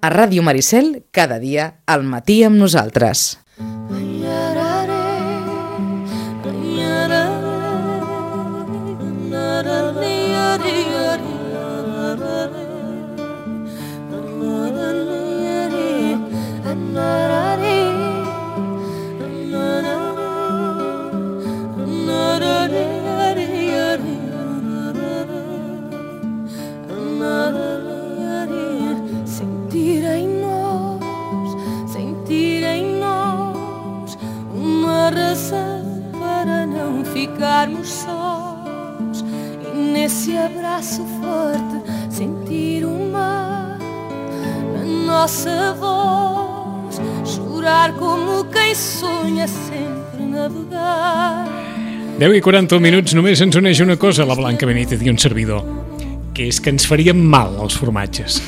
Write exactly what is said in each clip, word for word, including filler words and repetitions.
A Ràdio Maricel, cada dia, al matí amb nosaltres. Ficarmos sós e nesse abraço forte sentir o mar na nossa voz, chorar como quem sonha sempre navegar. deu i quaranta minuts, només ens uneix una cosa, la Blanca Benítez i un servidor, que és que ens farien mal els formatges.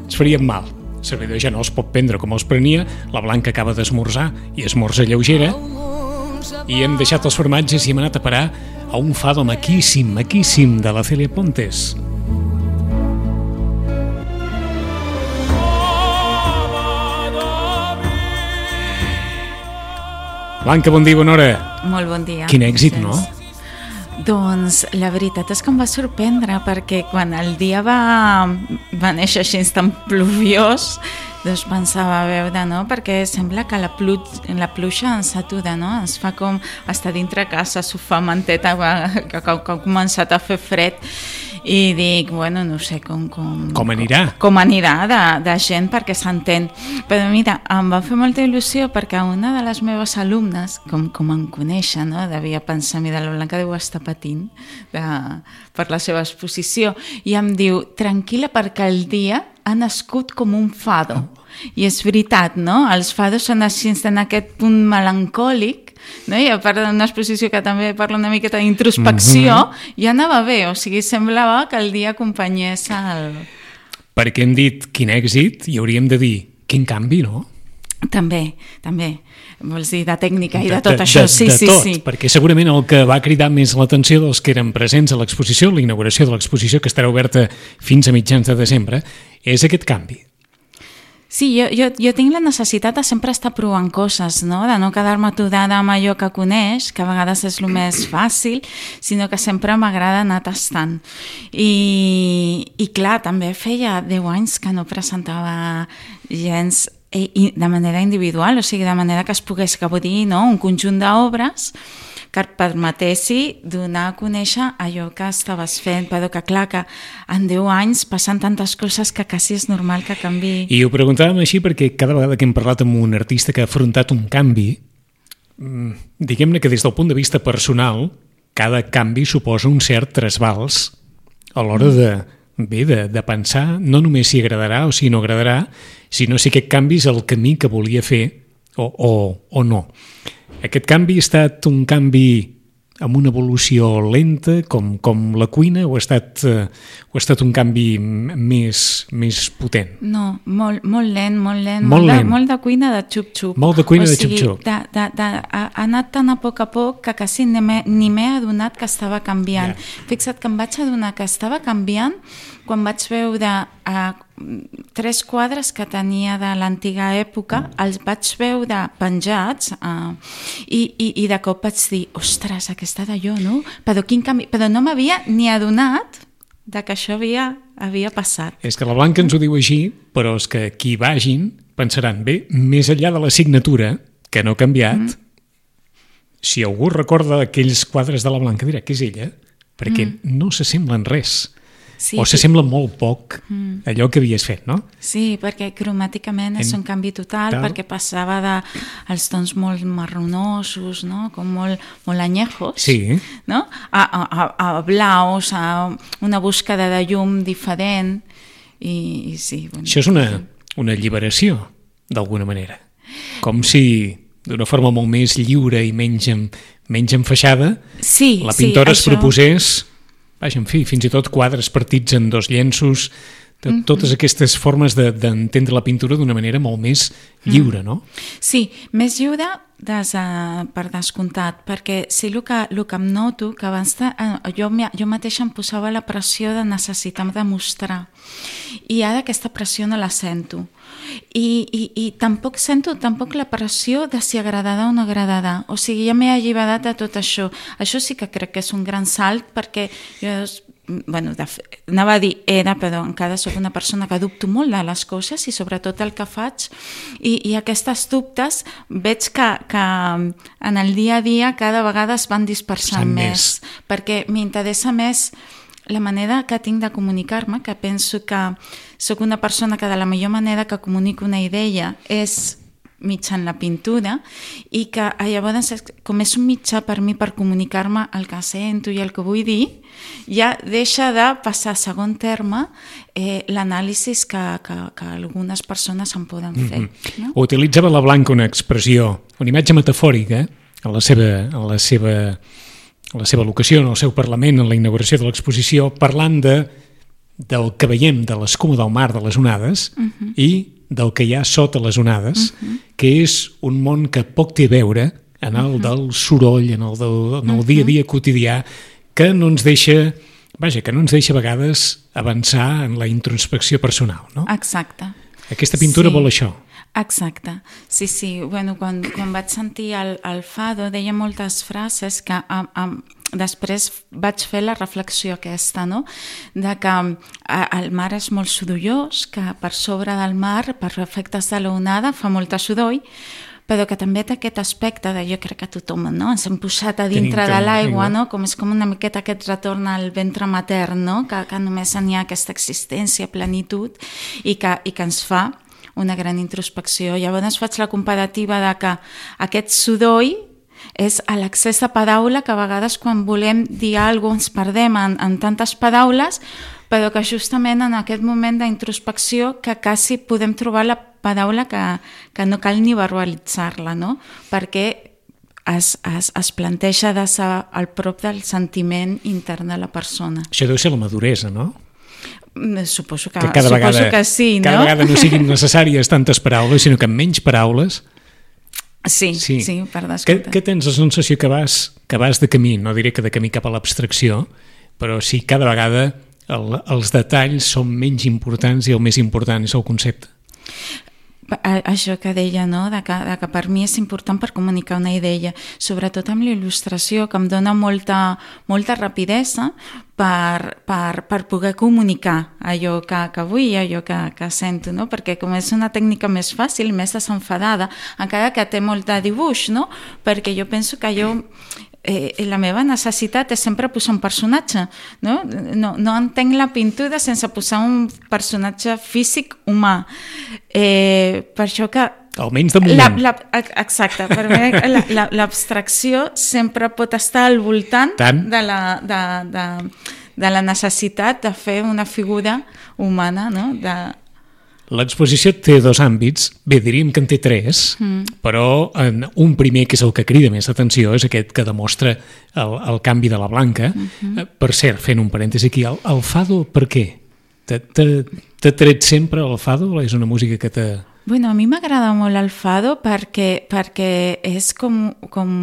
Ens farien mal. El servidor ja no els pot prendre com els prenia, la Blanca acaba d'esmorzar i esmorza lleugera, i hem deixat els formatges i hem anat a parar a un fado maquíssim, maquíssim de la Cèlia Pontes. Blanca, bon dia, bona hora. Molt bon dia. Quin èxit, no? Doncs la veritat és que em va sorprendre, perquè quan el dia va, va néixer així tan pluviós, doncs pensava, a veure, no? Perquè sembla que la, plu la pluja ens atura, no? Ens fa com estar dintre casa, sofà, manteta, que, que, que ha començat a fer fred, i dic, bueno, no sé com... Com, com anirà? Com, com anirà de, de gent perquè s'entén. Però mira, em va fer molta il·lusió perquè una de les meves alumnes, com, com em coneixen, no? Devia pensar, mira, la Blanca deu estar patint de, per la seva exposició, i em diu, tranquil·la, perquè el dia ha nascut com un fado. I és veritat, no? Els fados són així, en aquest punt melancòlic, no? I a part d'una exposició que també parla una miqueta d'introspecció, mm-hmm. ja anava bé, o sigui, semblava que el dia acompanyés el... Perquè hem dit quin èxit i hauríem de dir quin canvi, no? També, també. Vols dir de tècnica i de, de tot de, això, de, sí, de sí, tot, sí. Perquè segurament el que va cridar més l'atenció dels que eren presents a l'exposició, la inauguració de l'exposició, que estarà oberta fins a mitjans de desembre, és aquest canvi. Sí, jo, jo, jo tinc la necessitat de sempre estar provant coses, no? De no quedar-me aturada amb allò que coneix, que a vegades és el més fàcil, sinó que sempre m'agrada anar tastant. I, I clar, també feia deu anys que no presentava gens i de manera individual, o sigui, de manera que es pogués gaudir, no? Un conjunt d'obres que et permetessi donar a conèixer allò que estaves fent, però que clar, que en deu anys passen tantes coses que quasi és normal que canvi. I ho preguntàvem així perquè cada vegada que hem parlat amb un artista que ha afrontat un canvi, diguem-ne que des del punt de vista personal, cada canvi suposa un cert trasbals a l'hora de, bé, de, de pensar no només si agradarà o si no agradarà, sinó si aquest canvi és el camí que volia fer o, o, o no. Aquest canvi ha estat un canvi amb una evolució lenta, com, com la cuina, o ha estat, uh, o ha estat un canvi més, més potent? No, molt, molt lent, molt lent, molt, molt, lent. De, molt de cuina de xup-xup. Molt de cuina o de sigui, xup-xup. De, de, de, ha anat tan a poc a poc que quasi ni m'he adonat que estava canviant. Yeah. Fixa't que em vaig adonar que estava canviant quan vaig veure uh, tres quadres que tenia de l'antiga època, els vaig veure penjats uh, i, i, i de cop vaig dir, ostres, aquesta d'allò, no? Però quin canvi... Però no m'havia ni adonat de que això havia, havia passat. És que la Blanca ens ho diu així, però és que qui vagin pensaran, bé, més enllà de la signatura, que no ha canviat, mm. si algú recorda aquells quadres de la Blanca dirà que és ella, perquè mm. no s'assemblen res. Sí, o s'assembla sí. molt poc mm. allò que havies fet, no? Sí, perquè cromàticament és en... un canvi total, Tal. perquè passava de els tons molt marronosos, no? Com molt, molt anyejos, sí. no? A, a, a blaus, a una búsqueda de llum diferent. I, i sí, bueno, això és una, una alliberació, d'alguna manera. Com si d'una forma molt més lliure i menys, menys enfaixada, sí, la pintora sí, es proposés... Vaja, en fi, fins i tot quadres partits en dos llenços, de, mm-hmm. totes aquestes formes d'entendre de, la pintura d'una manera molt més lliure, no? Sí, més lliure des, uh, per descomptat, perquè sí, el que, el que em noto, que abans de, uh, jo, jo mateixa em posava la pressió de necessitar demostrar, i ara aquesta pressió no la sento. I, i, i tampoc sento tampoc la pressió de si agradarà o no agradarà. O sigui, ja m'he alliberat de tot això. Això sí que crec que és un gran salt, perquè jo... Bueno, de, anava a dir era, però encara soc una persona que dubto molt de les coses i sobretot el que faig, i, i aquestes dubtes veig que, que en el dia a dia cada vegada es van dispersant més, més, perquè m'interessa més la manera que tinc de comunicar-me, que penso que sóc una persona que de la millor manera que comunico una idea és mitjan la pintura, i que llavors, com és un mitjà per mi per comunicar-me el que sento i el que vull dir, ja deixa de passar a segon terme eh, l'anàlisi que, que, que algunes persones en poden fer. Mm-hmm. No? Utilitzava la Blanca una expressió, una imatge metafòrica en la seva, en la seva, en la seva locució, en el seu Parlament, en la inauguració de l'exposició, parlant de, del que veiem de l'escuma del mar, de les onades, mm-hmm. i del que hi ha sota les onades, uh-huh. que és un món que poc té a veure en el uh-huh. del soroll, en el, del, en el uh-huh. dia a dia quotidià, que no ens deixa, vaja, que no ens deixa a vegades avançar en la introspecció personal, no? Exacte. Aquesta pintura sí. vol això. Exacte. Sí, sí. Bueno, quan, quan vaig sentir el, el Fado, deia moltes frases que a, a, després vaig fer la reflexió aquesta, no? De que el mar és molt sorollós, que per sobre del mar, per efectes de l'onada, fa molta soroll, però que també té aquest aspecte de, jo crec que tothom, no? Ens hem posat a dintre Tenim de l'aigua, no? Com és com una miqueta aquest retorn al ventre matern, no? Que, que només n'hi ha aquesta existència, plenitud, i que, i que ens fa una gran introspecció. Llavors faig la comparativa de que aquest soroll és l'accés de paraula, que a vegades quan volem dir alguna cosa ens perdem en, en tantes paraules, però que justament en aquest moment d'introspecció que quasi podem trobar la paraula que, que no cal ni verbalitzar-la, no? Perquè es, es, es planteja de ser al prop del sentiment intern de la persona. Això deu ser la maduresa, no? Suposo que, que, cada suposo vegada, que sí, no? Cada vegada no siguin necessàries tantes paraules, sinó que amb menys paraules... Sí, sí, sí, per descomptat. Que, que tens la sensació que vas, que vas de camí, no diré que de camí cap a l'abstracció, però sí, cada vegada el, els detalls són menys importants i el més important és el concepte. Això que deia, no? de, que, de que per mi és important per comunicar una idea, sobretot amb la il·lustració, que em dona molta, molta rapidesa per, per, per poder comunicar allò que, que vull i allò que, que sento, no? Perquè com és una tècnica més fàcil, més desenfadada, encara que té molt de dibuix, no? Perquè jo penso que jo... Eh, la meva necessitat és sempre posar un personatge, no? No, no entenc la pintura sense posar un personatge físic humà. Eh, per això que... Almenys de moment. La, la, exacte, per mi l'abstracció la, sempre pot estar al voltant Tant. de la, de, de, de la necessitat de fer una figura humana, no? De... L'exposició té dos àmbits, bé, diríem que en té tres, mm. però en un primer, que és el que crida més atenció, és aquest que demostra el, el canvi de la Blanca. Mm-hmm. Per cert, fent un parèntesi aquí, el, el Fado, per què? T'ha tret sempre el Fado? És una música que t'ha... Bueno, a mi m'agrada molt el Fado perquè, perquè és com... com...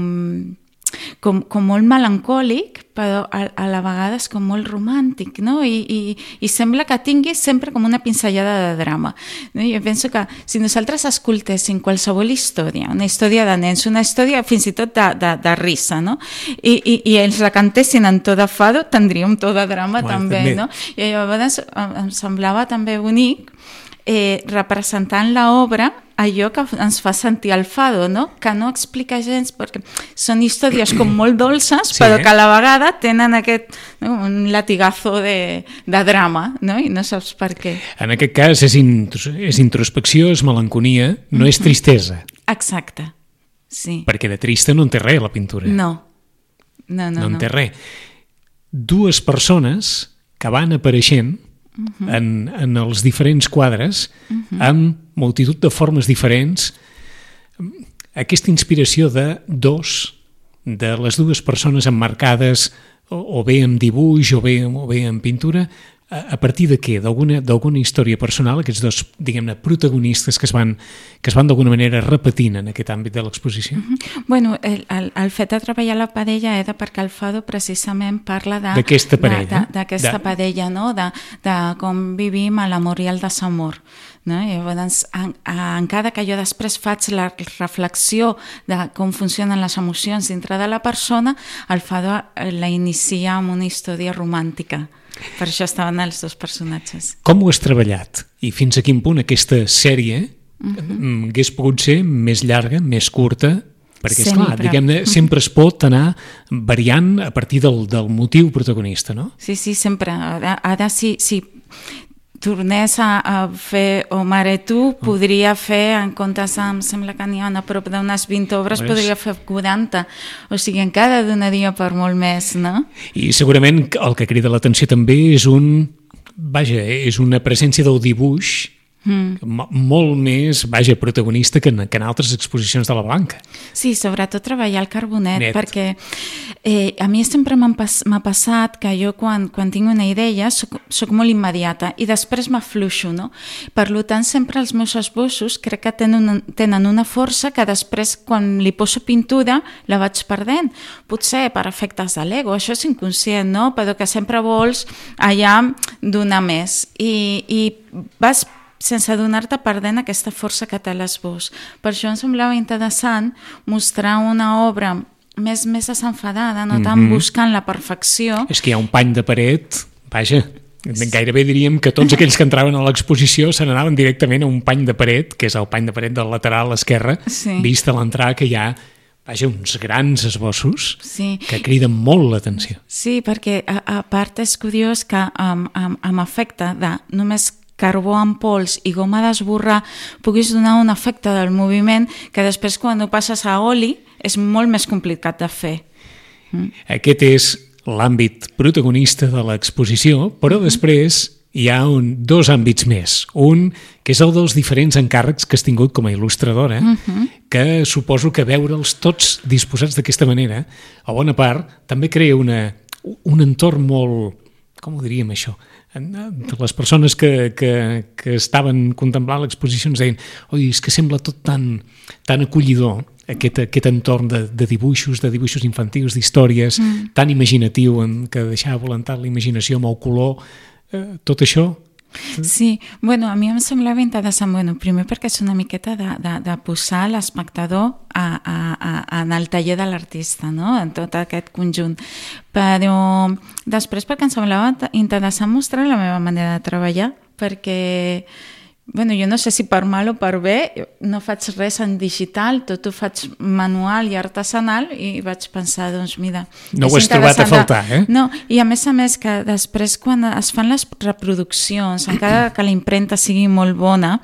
Com, com molt melancòlic, però a, a la vegada és com molt romàntic, no? I, i, i sembla que tingui sempre com una pinzellada de drama, no? Jo penso que si nosaltres escoltéssim qualsevol història, una història de nens, una història fins i tot de, de, de risa, no? I, i, i ells la cantessin en to de Fado, tindríem to de drama bueno, també, també, no? I llavors em semblava també bonic eh, representant l'obra allò que ens fa sentir el Fado, no? Que no explica gens, perquè són històries com molt dolces, sí, però que a la vegada tenen aquest, no? Un latigazo de, de drama, no? I no saps per què. En aquest cas és, in, és introspecció, és melanconia, no mm-hmm. és tristesa. Exacte, sí. Perquè de trista no en té res la pintura. No, no, no. No en no. té res. Dues persones que van apareixent Uh-huh. En, en els diferents quadres, uh-huh. amb multitud de formes diferents. Aquesta inspiració de dos, de les dues persones emmarcades o, o bé en dibuix o bé, o bé en pintura, a partir de què? D'alguna d'alguna història personal, aquests dos, diguem-ne, protagonistes que es van, que es van d'alguna manera repetint en aquest àmbit de l'exposició? Mm-hmm. Bueno, el, el, el fet de treballar la parella era perquè el Fado precisament parla de... D'aquesta parella. D'aquesta de, parella, no? De, de com vivim a l'amor i el desamor. No? I llavors, en, encara que jo després faig la reflexió de com funcionen les emocions dintre de la persona, el Fado la inicia amb una història romàntica. Per això estaven els dos personatges. Com ho has treballat? I fins a quin punt aquesta sèrie uh-huh. hagués pogut ser més llarga, més curta? Perquè, esclar, diguem-ne, sempre es pot anar variant a partir del, del motiu protagonista, no? Sí, sí, sempre. Ara, ara sí, sí. tornés a, a fer O Mare Tu, podria fer, en comptes, em sembla que n'hi ha a prop d'unes vint obres, pues... podria fer quaranta. O sigui, encara donaria per molt més, no? I segurament el que crida l'atenció també és un... Vaja, és una presència del dibuix Mm. molt més, vaja, protagonista que en, que en altres exposicions de la Blanca. Sí, sobretot treballar el carbonet, Net. perquè eh, a mi sempre m'ha pas, passat que jo quan, quan tinc una idea soc, soc molt immediata i després m'afluixo, no? Per tant, sempre els meus esbossos crec que tenen una, tenen una força que després, quan li poso pintura, la vaig perdent. Potser per efectes de l'ego, això és inconscient, no? Però que sempre vols allà donar més. I, i vas sense donar-te perdent aquesta força que té l'esbós. Per això em semblava interessant mostrar una obra més, més desenfadada, no tant mm-hmm. buscant la perfecció. És que hi ha un pany de paret, vaja, gairebé diríem que tots aquells que entraven a l'exposició se n'anaven directament a un pany de paret, que és el pany de paret del lateral esquerre, sí. vist a l'entrada que hi ha vaja, uns grans esbossos sí. que criden molt l'atenció. Sí, perquè a, a part és curiós que amb, amb, amb efecte de només carbó en pols i goma d'esborrar puguis donar un efecte del moviment que després quan ho passes a oli és molt més complicat de fer. Mm. Aquest és l'àmbit protagonista de l'exposició, però mm-hmm. després hi ha un, dos àmbits més. Un, que és el dels diferents encàrrecs que has tingut com a il·lustradora, mm-hmm. que suposo que veure'ls tots disposats d'aquesta manera, a bona part, també crea una, un entorn molt... Com ho diríem, això? Les persones que, que, que estaven contemplant l'exposició ens deien oi, és que sembla tot tan, tan acollidor, aquest, aquest entorn de, de dibuixos, de dibuixos infantils, d'històries, mm. tan imaginatiu, que deixava volantar la imaginació amb el color, eh, tot això... Sí, bueno, a mi em semblava interessant, bueno, primer perquè és una miqueta de, de, de posar l'espectador a, a, a, en el taller de l'artista, no? En tot aquest conjunt. Però després perquè em semblava interessant mostrar la meva manera de treballar, perquè bueno, jo no sé si per mal o per bé, no faig res en digital, tot ho faig manual i artesanal i vaig pensar, doncs mira... No ho has trobat a faltar, eh? No, i a més a més que després quan es fan les reproduccions, encara que la impremta sigui molt bona,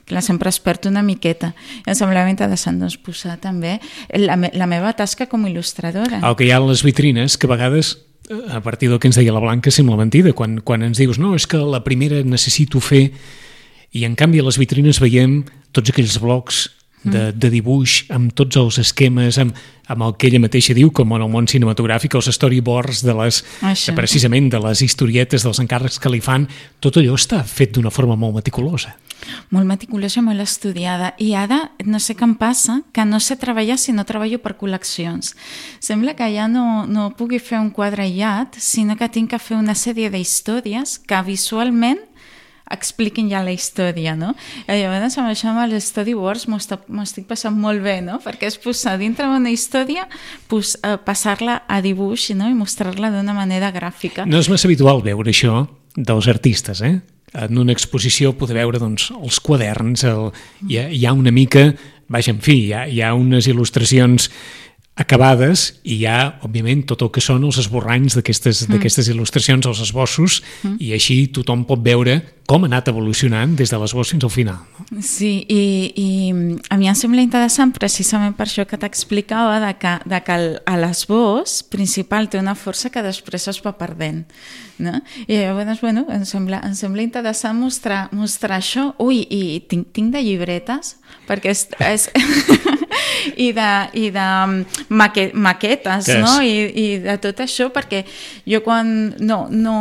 que la sempre es perd una miqueta, i em semblava interessant doncs, posar també la, me la meva tasca com a il·lustradora. El que hi ha a les vitrines, que a vegades... a partir del que ens deia la Blanca sembla mentida, quan, quan ens dius no, és que la primera necessito fer i en canvi a les vitrines veiem tots aquells blocs de, de dibuix amb tots els esquemes, amb, amb el que ella mateixa diu, com en el món cinematogràfic, els storyboards de les, de, precisament de les historietes, dels encàrrecs que li fan, tot allò està fet d'una forma molt meticulosa. Molt meticulosa, molt estudiada. I ara, no sé què em passa, que no sé treballar si no treballo per col·leccions. Sembla que ja no, no pugui fer un quadre aïllat, sinó que tinc que fer una sèrie d'històries que visualment expliquin ja la història, no? I llavors amb això amb els storyboards m'ho estic passant molt bé, no? Perquè és posar dintre d'una història, pues, eh, passar-la a dibuix, no? I mostrar-la d'una manera gràfica. No és massa habitual veure això dels artistes, eh? En una exposició poder veure doncs, els quaderns, el... hi, ha, hi ha una mica, vaja, en fi, hi ha, hi ha unes il·lustracions acabades i hi ha, òbviament, tot el que són els esborranys d'aquestes mm. d'aquestes il·lustracions, els esbossos, mm. i així tothom pot veure com ha anat evolucionant des de l'esbós fins al final. No? Sí, i, i a mi em sembla interessant precisament per això que t'explicava de que, de que l'esbós principal té una força que després es va perdent. No? I llavors, bueno, em sembla, em sembla interessant mostrar, mostrar això. Ui, i tinc, tinc de llibretes, perquè és... és i de, i de maque, maquetes, yes. no? I, i de tot això, perquè jo quan no, no,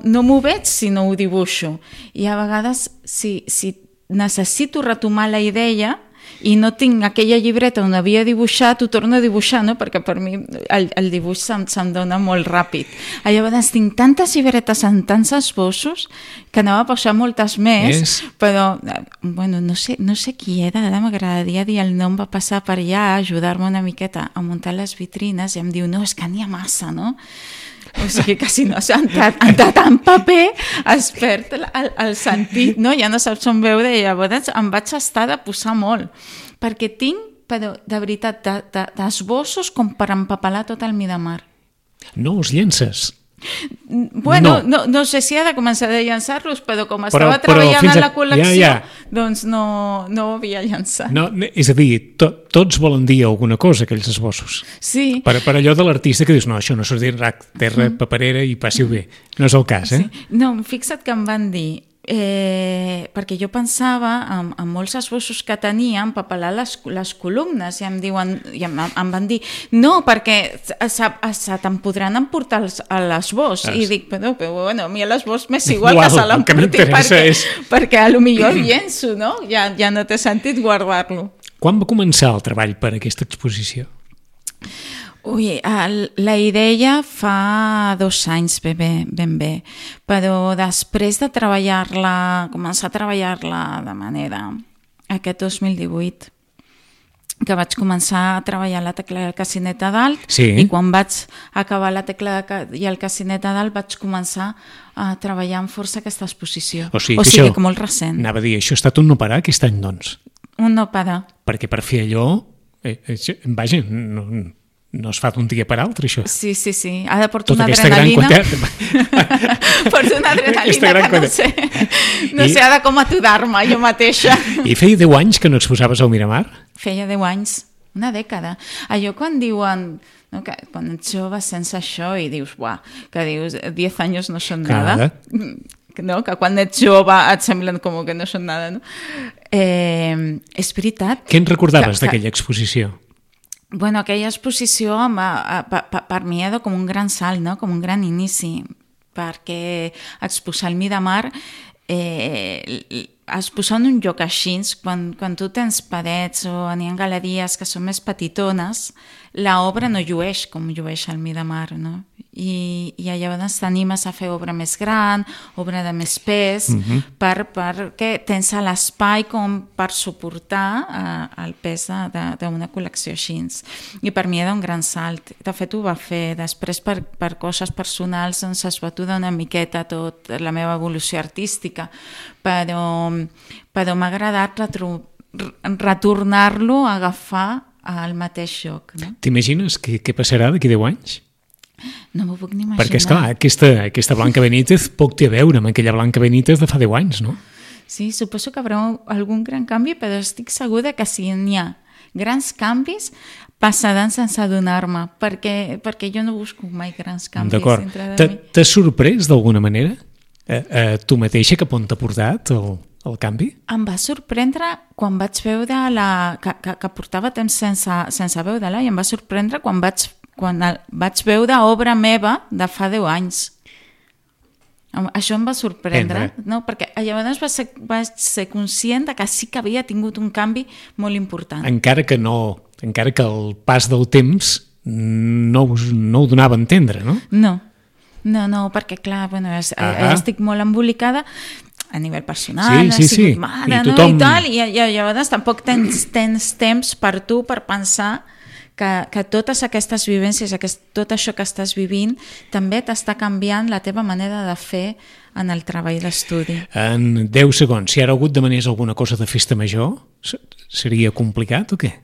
no m'ho veig si no ho dibuixo, i a vegades si, si necessito retomar la idea i no tinc aquella llibreta on havia dibuixat, ho torno a dibuixar, no? Perquè per mi el, el dibuix se'm, se'm dona molt ràpid. Llavors tinc tantes llibretes en tants esbossos que anava a posar moltes més, yes. Però bueno, no sé, no sé qui era, ara m'agradaria dir el nom, va passar per allà a ajudar-me una miqueta a muntar les vitrines i em diu, no, és que n'hi ha massa, no? O sigui que si no s'ha entrat, entrat en paper es perd el, el, el sentit, no? Ja no saps on veure, i llavors em vaig estar de posar molt, perquè tinc, però de veritat, d'esbossos com per empapelar tot el Miramar. No els llences? Bueno, no, no, no sé si ha de començar a llançar-los, però com però, estava treballant a... en la col·lecció, ja, ja. doncs no, no ho havia llançat. No, és a dir, to, tots volen dir alguna cosa, aquells esbossos. Sí. Per, per allò de l'artista que dius, no, això no s'ho dirà terra, mm. paperera i passi-ho bé. No és el cas, eh? Sí. No, fixa't que em van dir, eh, perquè jo pensava en, en molts esbossos que tenia empapelar les, les columnes, i em diuen, i em, em van dir, no, perquè se, se te'n podran emportar els, a l'esbós, i dic, però, però bueno, a mi l'esbós m'és igual que se l'emporti, perquè, és... perquè a lo millor el llenço, no? Ja, ja no té sentit guardar-lo. Quan va començar el treball per aquesta exposició? Ui, el, la idea fa dos anys ben bé, ben bé, però després de treballar-la, començar a treballar-la de manera aquest dos mil divuit, que vaig començar a treballar la tecla del cassinet a dalt, sí. I quan vaig acabar la tecla i el cassinet a dalt vaig començar a treballar amb força aquesta exposició. O sigui, o que, sigui això, que molt recent. Anava a dir, això ha estat un no parar aquest any, doncs? Un no parar. Perquè per fer allò, eh, eh, vaja, no, no es fa d'un dia per altre, això. Sí, sí, sí. Ara porto tota una adrenalina. Porto una adrenalina que no sé, no I... sé ara com aturar-me jo mateixa. I feia deu anys que no exposaves al Miramar? Feia deu anys, una dècada. Allò quan diuen, no, que quan ets jove sense això i dius, buah, que dius, diez anys no són nada. No? Que quan ets jove et semblen com que no són nada, no? Eh, és veritat. Què en recordaves d'aquella exposició? Bueno, aquella exposició per, per mi era com un gran salt, no? Com un gran inici, perquè exposar el Miramar, eh, exposar en un lloc així, quan, quan tu tens parets o n'hi ha galeries que són més petitones, l'obra no llueix com llueix el Miramar, no? I, i llavors t'animes a fer obra més gran, obra de més pes, uh-huh. per, perquè tens l'espai com per suportar uh, el pes d'una col·lecció així. I per mi era un gran salt. De fet, ho va fer. Després, per, per coses personals, doncs es va aturar una miqueta tot la meva evolució artística, però, però m'ha agradat retro, retornar-lo a agafar al mateix lloc. No? T'imagines què, què passarà d'aquí deu anys? No m'ho puc ni imaginar. Perquè, esclar, aquesta, aquesta Blanca Benítez poc té a veure amb aquella Blanca Benítez de fa deu anys, no? Sí, suposo que haurà algun gran canvi, però estic segura que si n'hi ha grans canvis passaran sense adonar-me, perquè, perquè jo no busco mai grans canvis. D'acord. T'has sorprès d'alguna manera? Eh, eh, tu mateixa cap on t'ha portat el, el canvi? Em va sorprendre quan vaig veure la... que, que, que portava temps sense, sense veure-la, i em va sorprendre quan vaig quan vaig veure obra meva de fa deu anys. Això em va sorprendre, no? Perquè llavors vaig ser, vaig ser conscient de que sí que havia tingut un canvi molt important. Encara que no, encara que el pas del temps no, no ho donava a entendre, no? No, no, no, perquè clar, bueno, es, ah. estic molt embolicada a nivell personal, sí, sí, he sigut sí. mare, I tothom... no? I tal, i, i llavors tampoc tens, tens temps per tu per pensar que, que totes aquestes vivències, aquest, tot això que estàs vivint, també t'està canviant la teva manera de fer en el treball d'estudi. En deu segons, si ara hagut demanés alguna cosa de festa major, seria complicat o què?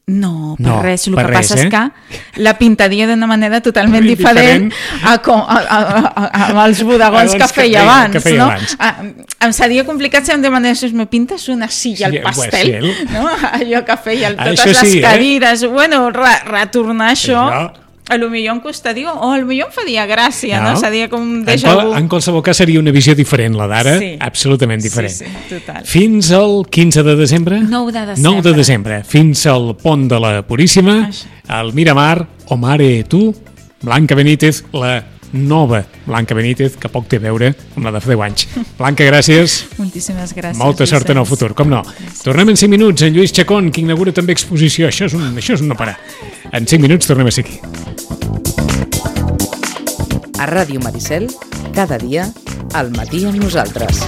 No, per no, res. El per que res, passa eh? és que la pintaria d'una manera totalment diferent, diferent. A, com, a, a, a, a, als bodegons que feia que abans. Que feia no? abans. A, em seria complicat si em demanés, me pintes una silla al sí, pastel, sí, no? Allò que feia, totes això les sí, cadires. Eh? Bueno, re, retornar això... això... a lo millor em costaria, o a lo millor em faria gràcia, no? No? Seria com un En, déjà qual, vu. en qualsevol cas seria una visió diferent, la d'ara, Sí. absolutament diferent. Sí, sí, total. Fins al quinze de desembre? nou de desembre. nou de desembre. Fins al pont de la Puríssima, Això. al Miramar, o Mare Tu, Blanca Benítez, la nova Blanca Benítez, que poc té a veure amb la de fa deu anys. Blanca, gràcies. Moltíssimes gràcies. Molta sort en el Vicenç. futur, com no. Tornem en cinc minuts, en Lluís Chacón, que inaugura també exposició. Això és un, això és un no parar. En cinc minuts tornem a ser aquí. A Ràdio Maricel, cada dia, al matí amb nosaltres.